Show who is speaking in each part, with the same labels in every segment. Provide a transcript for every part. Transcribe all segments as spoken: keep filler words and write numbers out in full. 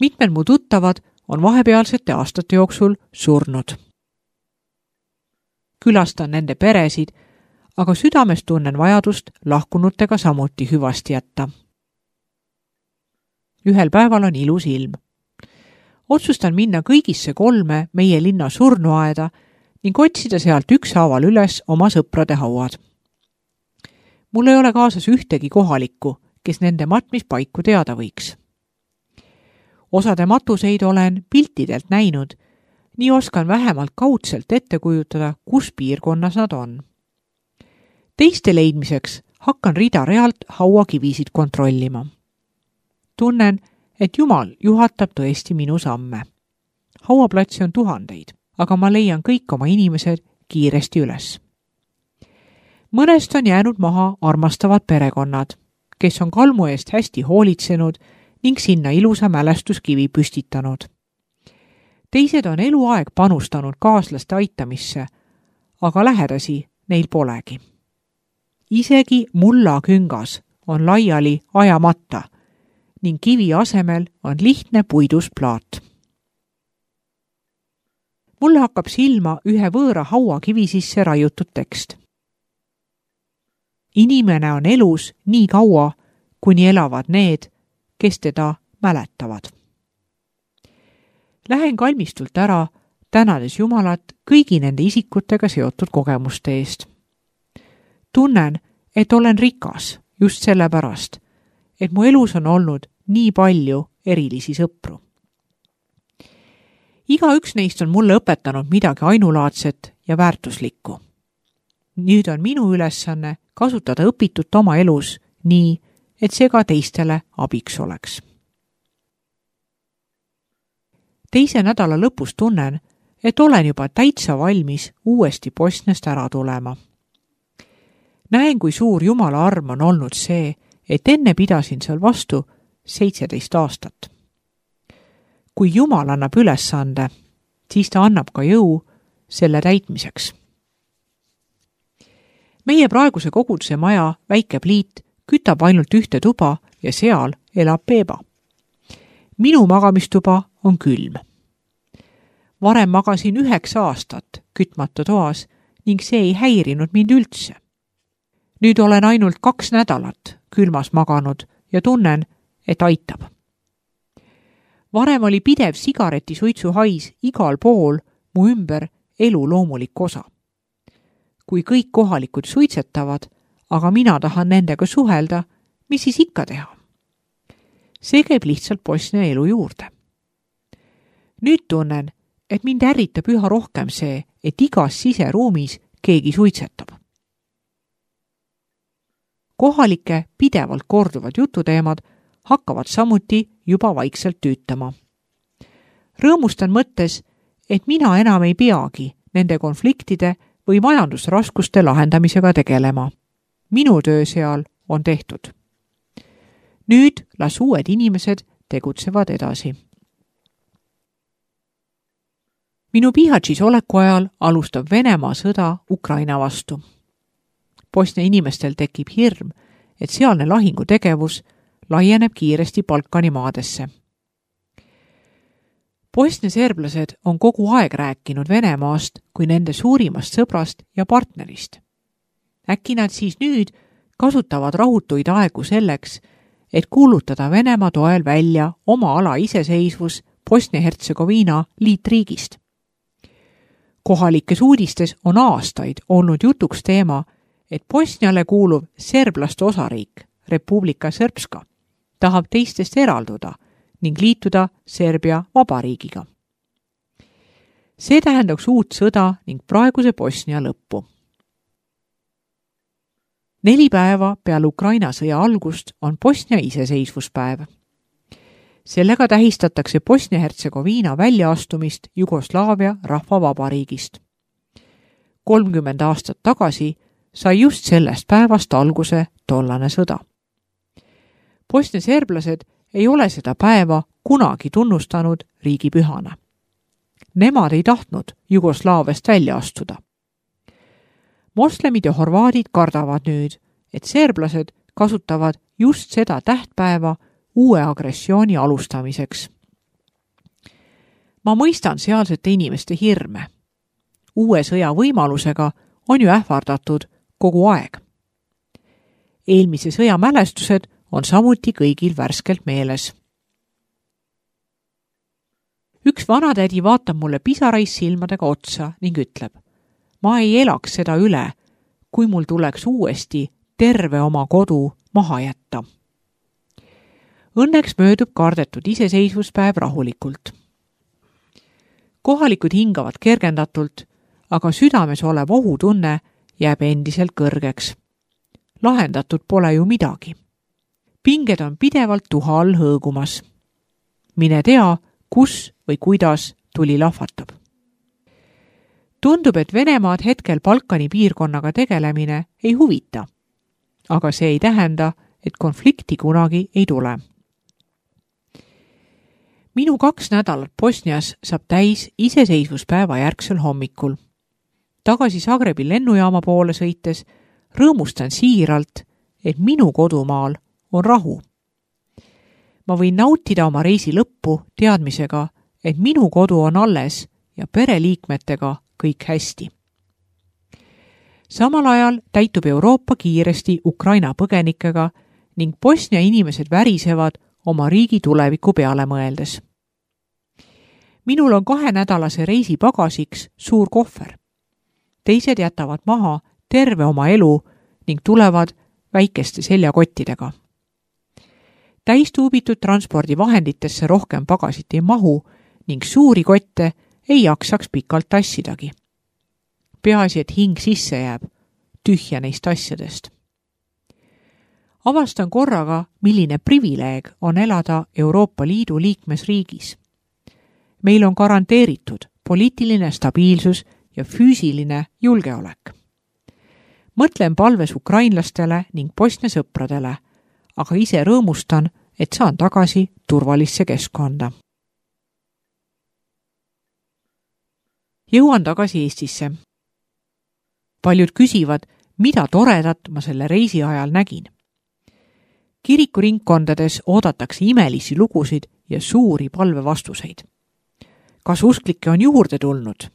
Speaker 1: Mitmed mu tuttavad on vahepealsete aastate jooksul surnud. Külastan nende peresid, aga südames tunnen vajadust lahkunutega samuti hüvasti jätta. Ühel päeval on ilus ilm. Otsustan minna kõigisse kolme meie linna surnuaeda ning otsida sealt ükshaaval üles oma sõprade hauad. Mul ei ole kaasas ühtegi kohalikku, kes nende matmispaiku teada võiks. Osade matuseid olen piltidelt näinud, nii oskan vähemalt kaudselt ette kujutada, kus piirkonnas nad on. Teiste leidmiseks hakkan rida-realt hauakivisid kontrollima. Tunnen, et Jumal juhatab tõesti minu samme. Hauaplatsi on tuhandeid, aga ma leian kõik oma inimesed kiiresti üles. Mõnest on jäänud maha armastavad perekonnad, kes on kalmu eest hästi hoolitsenud ning sinna ilusa mälestuskivi püstitanud. Teised on eluaeg panustanud kaaslaste aitamisse, aga lähedasi neil polegi. Isegi mullaküngas on laiali ajamata ning kivi asemel on lihtne puidust plaat. Mulle hakkab silma ühe võõra hauakivi sisse raiutud tekst. Inimene on elus nii kaua, kuni elavad need, kes teda mäletavad. Lähen kalmistult ära, tänades Jumalat kõigi nende isikutega seotud kogemuste eest. Tunnen, et olen rikas just sellepärast, et mu elus on olnud nii palju erilisi sõpru. Igaüks neist on mulle õpetanud midagi ainulaadset ja väärtuslikku. Nüüd on minu ülesanne kasutada õpitut oma elus nii, et see ka teistele abiks oleks. Teise nädala lõpus tunnen, et olen juba täitsa valmis uuesti Bosniast ära tulema. Näen, kui suur Jumala arm on olnud see, et enne pidasin seal vastu seitseteist aastat. Kui Jumal annab ülesande, siis ta annab ka jõu selle täitmiseks. Meie praeguse koguduse maja väike pliit kütab ainult ühte tuba ja seal elab Peeba. Minu magamistuba on külm. Varem magasin üheksa aastat kütmata toas ning see ei häirinud mind üldse. Nüüd olen ainult kaks nädalat külmas maganud ja tunnen, et aitab. Varem oli pidev sigareti suitsuhais igal pool mu ümber elu loomulik osa. Kui kõik kohalikud suitsetavad, aga mina tahan nendega suhelda, mis siis ikka teha? See käib lihtsalt Bosnia elu juurde. Nüüd tunnen, et mind ärritab üha rohkem see, et igas siseruumis keegi suitsetab. Kohalike pidevalt korduvad jututeemad hakkavad samuti juba vaikselt tüütama. Rõõmustan mõttes, et mina enam ei peagi nende konfliktide või majandusraskuste lahendamisega tegelema. Minu töö seal on tehtud. Nüüd las uued inimesed tegutsevad edasi. Minu Bihaćis oleku ajal alustab Venemaa sõda Ukraina vastu. Bosnia inimestel tekib hirm, et sealne lahingutegevus laieneb kiiresti Balkani maadesse. Bosnia serblased on kogu aeg rääkinud Venemaast kui nende suurimast sõbrast ja partnerist. Äkki nad siis nüüd kasutavad rahutuid aegu selleks, et kuulutada Venemaa toel välja oma ala iseseisvus Bosnia-Hertsegoviina liitriigist. Kohalikes uudistes on aastaid olnud jutuks teema, et Bosniale kuuluv serblaste osariik, Republika Srpska, tahab teistest eralduda ning liituda Serbia vabariigiga. See tähendaks uut sõda ning praeguse Bosnia lõppu. Neli päeva peale Ukraina sõja algust on Bosnia iseseisvuspäev. Sellega tähistatakse Bosnia-Hertsegoviina väljaastumist Jugoslaavia rahvavabariigist. kolmkümmend aastat tagasi sai just sellest päevast alguse tollane sõda. Bosnia serblased ei ole seda päeva kunagi tunnustanud riigipühana. Nemad ei tahtnud Jugoslaaviast välja astuda. Moslemid ja horvaadid kardavad nüüd, et serblased kasutavad just seda tähtpäeva uue agressiooni alustamiseks. Ma mõistan sealsete inimeste hirme. Uue sõja võimalusega on ju ähvardatud kogu aeg. Eelmise sõja mälestused on samuti kõigil värskelt meeles. Üks vanatädi vaatab mulle pisarais silmadega otsa ning ütleb, ma ei elaks seda üle, kui mul tuleks uuesti terve oma kodu maha jätta. Õnneks möödub kardetud iseseisvuspäev rahulikult. Kohalikud hingavad kergendatult, aga südames olev ohutunne jääb endiselt kõrgeks. Lahendatud pole ju midagi. Pinged on pidevalt tuha all hõõgumas. Mine tea, kus või kuidas tuli lahvatab. Tundub, et Venemaad hetkel Balkani piirkonnaga tegelemine ei huvita, aga see ei tähenda, et konflikti kunagi ei tule. Minu kaks nädalat Bosnias saab täis iseseisvuspäeva järgsel hommikul. Tagasi Zagrebi lennujaama poole sõites rõõmustan siiralt, et minu kodumaal on rahu. Ma võin nautida oma reisi lõppu teadmisega, et minu kodu on alles ja pereliikmetega kõik hästi. Samal ajal täitub Euroopa kiiresti Ukraina põgenikega ning Bosnia inimesed värisevad oma riigi tuleviku peale mõeldes. Minul on kahenädalase reisi pagasiks suur kohver. Teised jätavad maha terve oma elu ning tulevad väikeste seljakottidega. Täistuubitud transpordivahenditesse rohkem pagasit ei mahu ning suuri kotte ei jaksaks pikalt tassidagi. Peaasi, et hing sisse jääb, tühja neist asjadest. Avastan korraga, milline privileeg on elada Euroopa Liidu liikmesriigis. Meil on garanteeritud poliitiline stabiilsus ja füüsiline julgeolek. Mõtlen palves ukrainlastele ning Bosnia sõpradele, aga ise rõõmustan, et saan tagasi turvalisse keskkonda. Jõuan tagasi Eestisse. Paljud küsivad, mida toredat ma selle reisi ajal nägin. Kirikuringkondades oodatakse imelisi lugusid ja suuri palvevastuseid. Kas usklikke on juurde tulnud?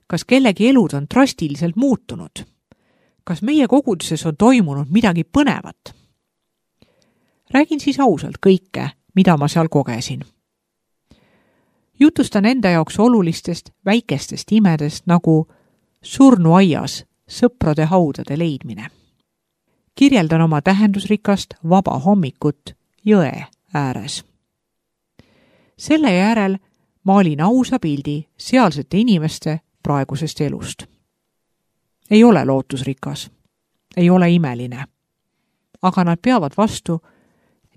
Speaker 1: Kas kellegi elud on drastiliselt muutunud? Kas meie koguduses on toimunud midagi põnevat? Räägin siis ausalt kõike, mida ma seal kogesin. Jutustan enda jaoks olulistest väikestest imedest nagu surnuaias sõprade haudade leidmine. Kirjeldan oma tähendusrikast vaba hommikut jõe ääres. Selle järel maalin ausa pildi sealsete inimeste praegusest elust. Ei ole lootusrikas, ei ole imeline, aga nad peavad vastu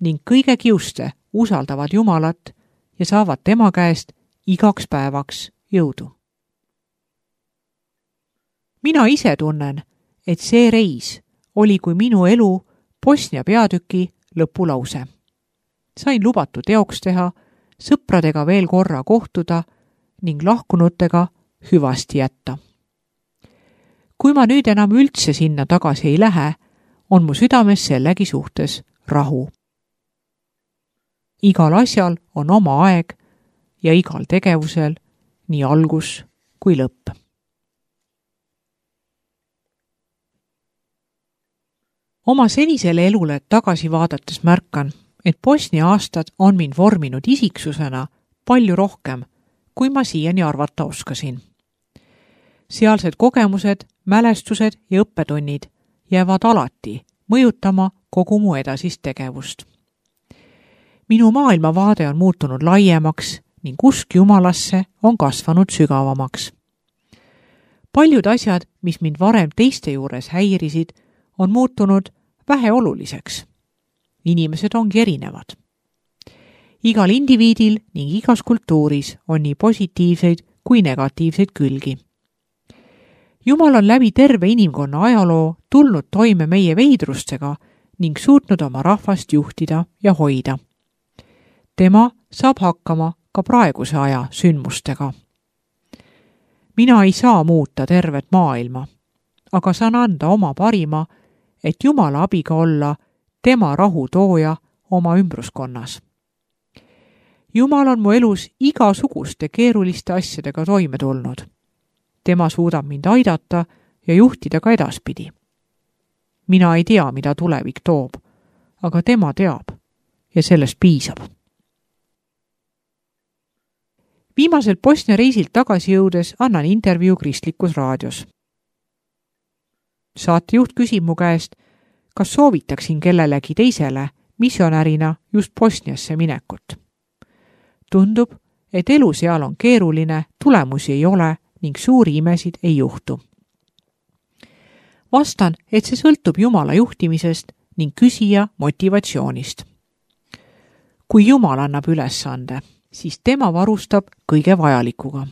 Speaker 1: ning kõige kiuste usaldavad Jumalat ja saavad tema käest igaks päevaks jõudu. Mina ise tunnen, et see reis oli kui minu elu Bosnia peatüki lõpulause. Sain lubatu teoks teha, sõpradega veel korra kohtuda ning lahkunutega hüvasti jätta. Kui ma nüüd enam üldse sinna tagasi ei lähe, on mu südames sellegi suhtes rahu. Igal asjal on oma aeg ja igal tegevusel nii algus kui lõpp. Oma senisele elule tagasi vaadates märkan, et Bosnia aastad on mind vorminud isiksusena palju rohkem, kui ma siiani arvata oskasin. Sealsed kogemused, mälestused ja õppetunnid jäävad alati mõjutama kogu mu edasist tegevust. Minu maailmavaade on muutunud laiemaks ning usk Jumalasse on kasvanud sügavamaks. Paljud asjad, mis mind varem teiste juures häirisid, on muutunud väheoluliseks. Inimesed ongi erinevad. Igal indiviidil ning igas kultuuris on nii positiivseid kui negatiivseid külgi. Jumal on läbi terve inimkonna ajaloo tulnud toime meie veidrustega ning suutnud oma rahvast juhtida ja hoida. Tema saab hakkama ka praeguse aja sündmustega. Mina ei saa muuta tervet maailma, aga saan anda oma parima, et Jumala abiga olla tema rahu tooja oma ümbruskonnas. Jumal on mu elus igasuguste keeruliste asjadega toime tulnud. Tema suudab mind aidata ja juhtida ka edaspidi. Mina ei tea, mida tulevik toob, aga tema teab ja sellest piisab. Viimaselt Bosnia reisilt tagasi jõudes annan intervjuu Kristlikus raadios. Saatejuht küsib mu käest, kas soovitaksin kellelegi teisele missionärina just Bosniasse minekut. Tundub, et elu seal on keeruline, tulemusi ei ole ning suuri imesid ei juhtu. Vastan, et see sõltub Jumala juhtimisest ning küsija motivatsioonist. Kui Jumal annab ülesande, siis tema varustab kõige vajalikuga.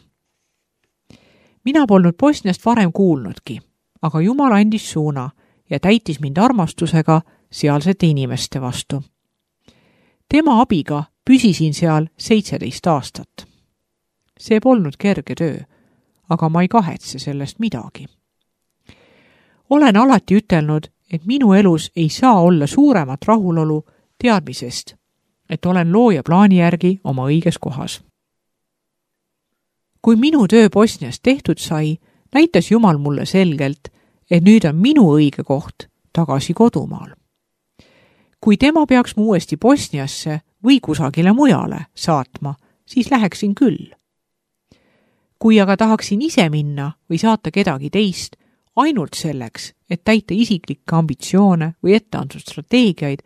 Speaker 1: Mina polnud Bosniast varem kuulnudki, aga Jumal andis suuna ja täitis mind armastusega sealsete inimeste vastu. Tema abiga püsisin seal seitseteist aastat. See polnud kerge töö, aga ma ei kahetse sellest midagi. Olen alati ütelnud, et minu elus ei saa olla suuremat rahulolu teadmisest, et olen looja plaani järgi oma õiges kohas. Kui minu töö Bosnias tehtud sai, näitas Jumal mulle selgelt, et nüüd on minu õige koht tagasi kodumaal. Kui tema peaks mu uuesti Bosniasse või kusagile mujale saatma, siis läheksin küll. Kui aga tahaksin ise minna või saata kedagi teist, ainult selleks, et täita isiklikke ambitsioone või etteantud strateegiaid,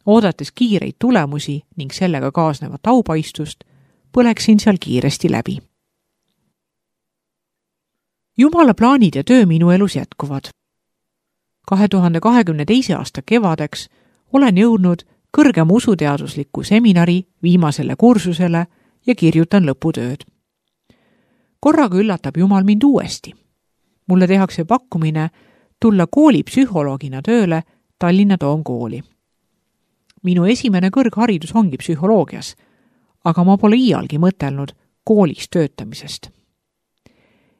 Speaker 1: oodates kiireid tulemusi ning sellega kaasnevat aupaistust, põleksin seal kiiresti läbi. Jumala plaanid ja töö minu elus jätkuvad. kahe tuhande kahekümne teise aasta kevadeks olen jõudnud kõrgema usuteadusliku seminari viimasele kursusele ja kirjutan lõputööd. Korraga üllatab Jumal mind uuesti. Mulle tehakse pakkumine tulla koolipsühholoogina tööle Tallinna Toomkooli. Minu esimene kõrgharidus ongi psühholoogias, aga ma pole iialgi mõtelnud koolis töötamisest.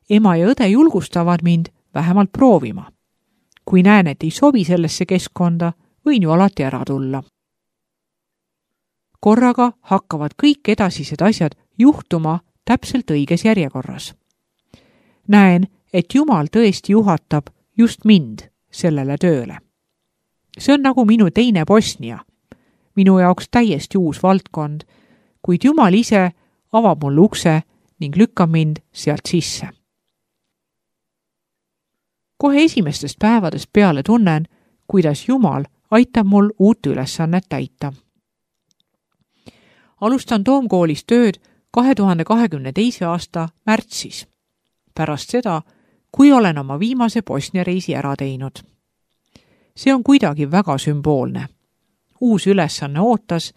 Speaker 1: Ema ja õde julgustavad mind vähemalt proovima. Kui näen, et ei sobi sellesse keskkonda, võin ju alati ära tulla. Korraga hakkavad kõik edasised asjad juhtuma täpselt õiges järjekorras. Näen, et Jumal tõesti juhatab just mind sellele tööle. See on nagu minu teine Bosnia, minu jaoks täiesti uus valdkond, kuid Jumal ise avab mulle ukse ning lükkab mind sealt sisse. Kohe esimestest päevadest peale tunnen, kuidas Jumal aitab mul uut ülesannet täita. Alustan Toomkoolis tööd kahe tuhande kahekümne teise aasta märtsis, pärast seda, kui olen oma viimase Bosnia reisi ära teinud. See on kuidagi väga sümboolne. Uus ülesanne ootas,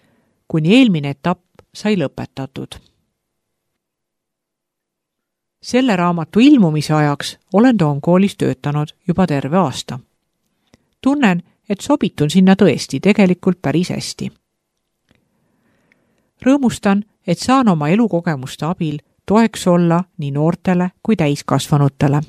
Speaker 1: kuni eelmine etapp sai lõpetatud. Selle raamatu ilmumise ajaks olen Toomkoolis töötanud juba terve aasta. Tunnen, et sobitun sinna tõesti tegelikult päris hästi. Rõõmustan, et saan oma elukogemuste abil toeks olla nii noortele kui täiskasvanutele.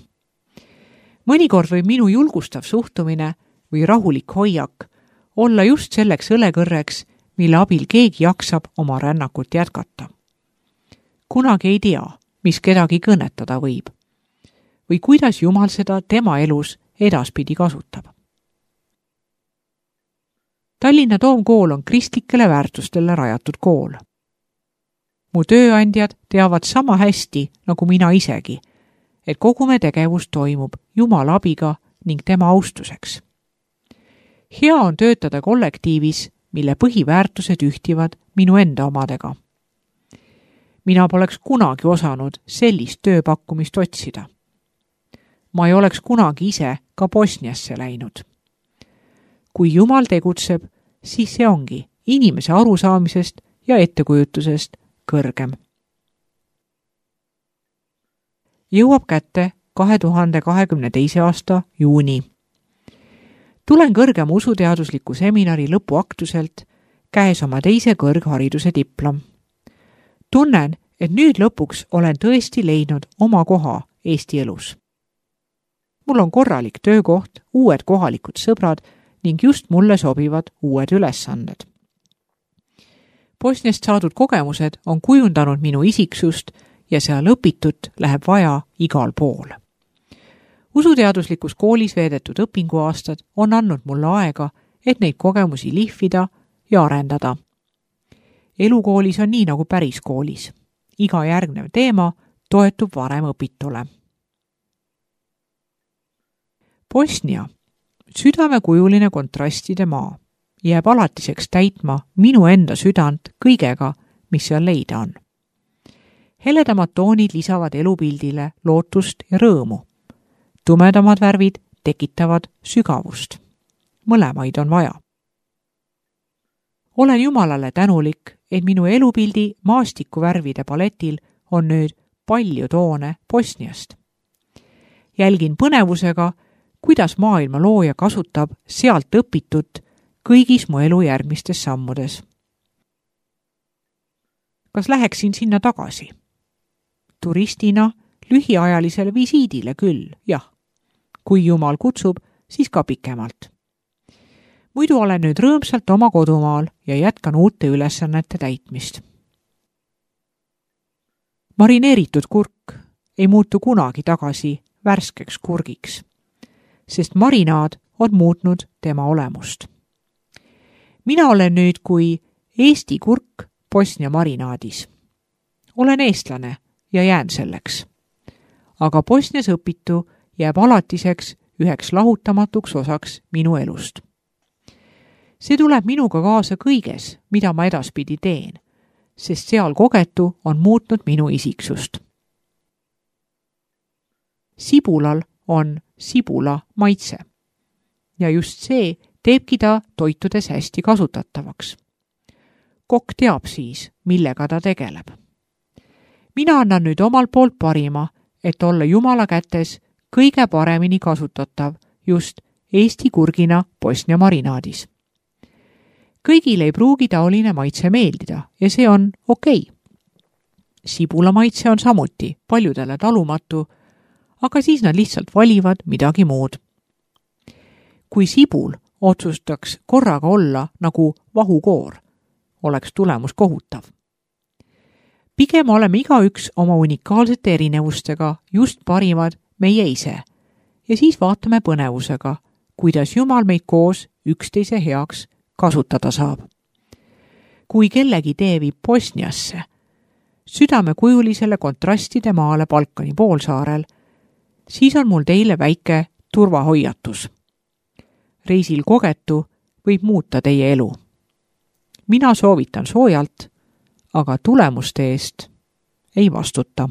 Speaker 1: Mõnikord võib minu julgustav suhtumine või rahulik hoiak olla just selleks õlekõrreks, mille abil keegi jaksab oma rännakut jätkata. Kunagi ei tea, mis kedagi kõnetada võib või kuidas Jumal seda tema elus edaspidi kasutab. Tallinna Toomkool on kristlikele väärtustele rajatud kool. Mu tööandjad teavad sama hästi nagu mina isegi, et kogu me tegevus toimub Jumala abiga ning tema austuseks. Hea on töötada kollektiivis, mille põhiväärtused ühtivad minu enda omadega. Mina poleks kunagi osanud sellist tööpakkumist otsida. Ma ei oleks kunagi ise ka Bosniasse läinud. Kui Jumal tegutseb, siis see ongi inimese arusaamisest ja ettekujutusest kõrgem. Jõuab kätte kahe tuhande kahekümne teise aasta juuni. Tulen kõrgema usuteadusliku seminari lõpuaktuselt, käes oma teise kõrghariduse diplom. Tunnen, et nüüd lõpuks olen tõesti leidnud oma koha Eesti elus. Mul on korralik töökoht, uued kohalikud sõbrad ning just mulle sobivad uued ülesanded. Bosniast saadud kogemused on kujundanud minu isiksust ja seal õpitut läheb vaja igal pool. Usuteaduslikus koolis veedetud õpinguaastad on andnud mulle aega, et neid kogemusi lihvida ja arendada. Elukoolis on nii nagu päris koolis. Iga järgnev teema toetub varem õpitule. Bosnia, südamekujuline kontrastide maa, jääb alatiseks täitma minu enda südant kõigega, mis seal leida on. Heledamad toonid lisavad elupildile lootust ja rõõmu. Tumedamad värvid tekitavad sügavust. Mõlemaid on vaja. Olen Jumalale tänulik, et minu elupildi maastikuvärvide paletil on nüüd palju toone Bosniast. Jälgin põnevusega, kuidas maailma looja kasutab sealt õpitut kõigis mu elu järgmistes sammudes. Kas läheksin sinna tagasi? Turistina lühiajalisele visiidile küll, jah. Kui Jumal kutsub, siis ka pikemalt. Muidu olen nüüd rõõmsalt oma kodumaal ja jätkan uute ülesannete täitmist. Marineeritud kurk ei muutu kunagi tagasi värskeks kurgiks, sest marinaad on muutnud tema olemust. Mina olen nüüd kui Eesti kurk Bosnia marinaadis. Olen eestlane ja jään selleks. Aga Bosnias õpitu jääb alatiseks üheks lahutamatuks osaks minu elust. See tuleb minuga kaasa kõiges, mida ma edaspidi teen, sest seal kogetu on muutnud minu isiksust. Sibulal on sibula maitse ja just see teebki ta toitudes hästi kasutatavaks. Kokk teab siis, millega ta tegeleb. Mina annan nüüd omalt poolt parima, et olla Jumala kätes kõige paremini kasutatav just Eesti kurgina Bosnia marinaadis. Kõigil ei pruugi taoline maitse meeldida ja see on okei. Sibula maitse on samuti paljudele talumatu, aga siis nad lihtsalt valivad midagi muud. Kui sibul otsustaks korraga olla nagu vahukoor, oleks tulemus kohutav. Pigem oleme igaüks oma unikaalsete erinevustega just parimad meie ise ja siis vaatame põnevusega, kuidas Jumal meid koos üksteise heaks kasutada saab. Kui kellegi tee viib Bosniasse, südamekujulisele kontrastide maale Balkani poolsaarel, siis on mul teile väike turvahoiatus. Reisil kogetu võib muuta teie elu. Mina soovitan soojalt, aga tulemuste eest ei vastuta.